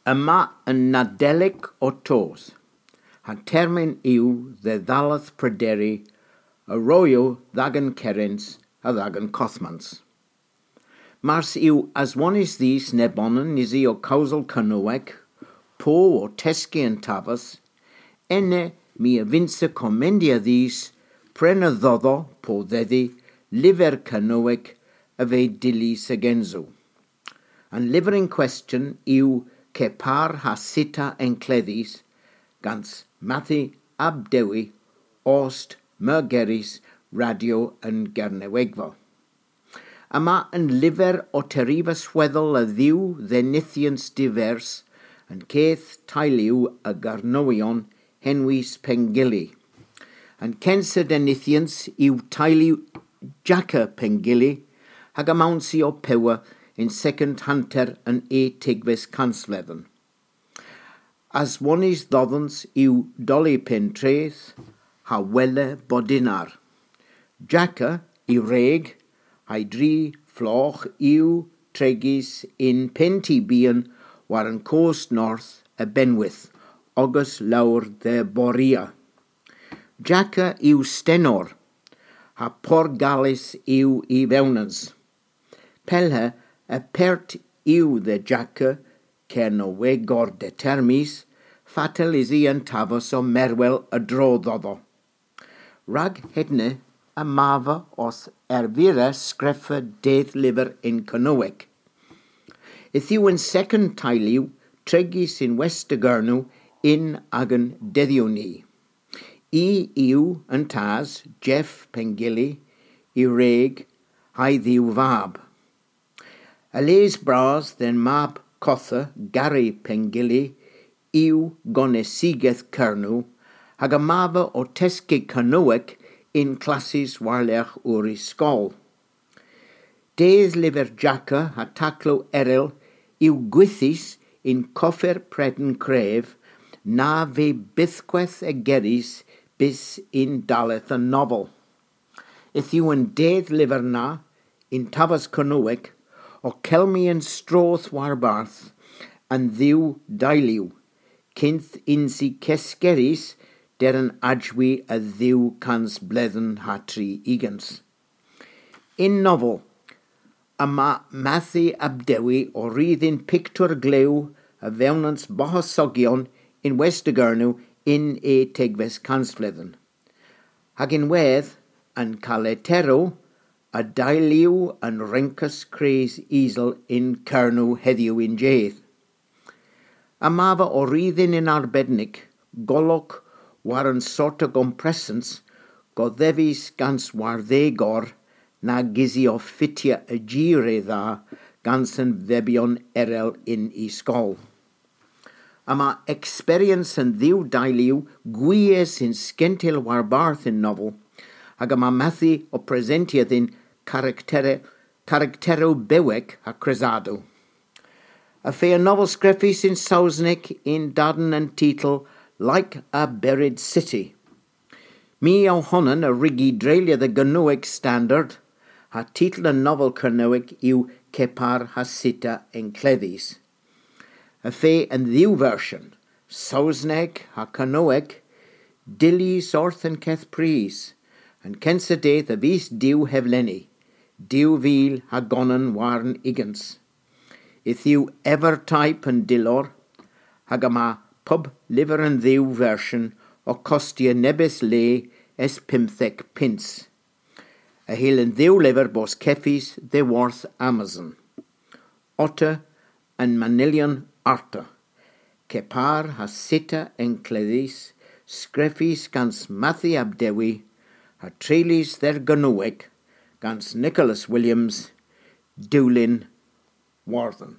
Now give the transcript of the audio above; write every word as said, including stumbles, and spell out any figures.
Yma yn Nadolig o tos, ha termyn yw ddeddalaeth Pryderi y roio ddagan Cerens a ddagan Cothmans. Mars yw aswonis ddys nebonan nisi o causal Cernoweg, po o tesgu yn tafas, enne mi a vinse commendia ddys pren y ddoddo po ddeddi lyfr Cernoweg a fe dilys agenzo. An lyfr in question yw Kepar ha sita encleddis gans Mathi ab Dewi ost Mergeris radio yn Gernewegfa. Yma yn lyfr o terifa sweddol y ddiw ddenithians divers yn ceth tailiw y Garnowion henwys Pengilly. Yn censa denithians yw tailiw Jaca Pengilly hag amawnsi o pewa in second hunter yn e tigves cansfledden. As onis ddoddans yw doli pentreth ha wele bodinar. Jaca i reg ha'i dri floch yw tregis in penti bian war yn coast north y Benwith, ogus lawr de Boria. Jaca yw stenor, ha porgalis yw i fewnans. Pelhe y pert yw the jaca Cernowegor de termis, fatal isi yn tafos o merwel y dro ddoddo. Rag hedne y mafa os erfira sgreffa dedd lyfr in Cernoweg. Ith yw yn second tailiw tregis in West Gernw in agan deddiw ni. I yw yn tas Jeff Pengilly i reg ha'i ddiw fab. A les bras den mab cotha Gary Pengilly yw gonesigeth Cernw hag a mafa o tesgu Cernoweg in classes warlech o'r ysgol. Dedd lyfr jaca a taclo eril yw gwythus in coffer preden cref na fe bythgweth y geris bys in daleth y nofel. Ith yw yn dedd lyfr na in tafas Cernoweg o celmi yn stroth warbarth yn ddiw dailiw, cynth insi cesgeris der yn ajwi y ddiw cans bledden ha tri igans. In nofel, yma Mathi ab Dewi o rydd pictwr glew y fewnans bohosogion in West Gernw in e tegves cansfledden. Hag in wedd yn caletero a dailiw yn rencus cres isel in Cernw heddiw in jedd. A mafa o ryddyn in arbednig, golwg war yn sort o gompresens, goddefis gans warddegor na gizi o ffitia y gire dda gans yn febion erel in ysgol. A ma experience yn ddiw dailiw gwies in sgentil warbarth in nofel, hag yma mathu o presentiadd in caractere, caractero beweg a cresado. A fe y nofel sgreffus in Saesneg in daden yn titl Like a Buried City. Mi o honan y rigi dreuliodd y Gynweg Standard, ha titl y nofel Cernyweg yw Kepar ha Sita Encleddis. Y fe yn ddiw fersiwn, Saesneg ha Cernyweg, dilys orth yn ceth pris, yn censa deith y fus diw heflenni, diw fil ha gonan warn igans. Ith yw Evertype yn dilor, hag yma pub lyfr yn ddiw fersiwn o costia nebys le es pymtheg pins. A hil yn ddiw lyfr bos ceffis the worth Amazon. Otter yn manylion arta. Kepar ha sita encleddis, sgreffis gans Mathi ab Dewi, ha treulis dder Gynweg, gans Nicholas Williams, Dulin Warthen.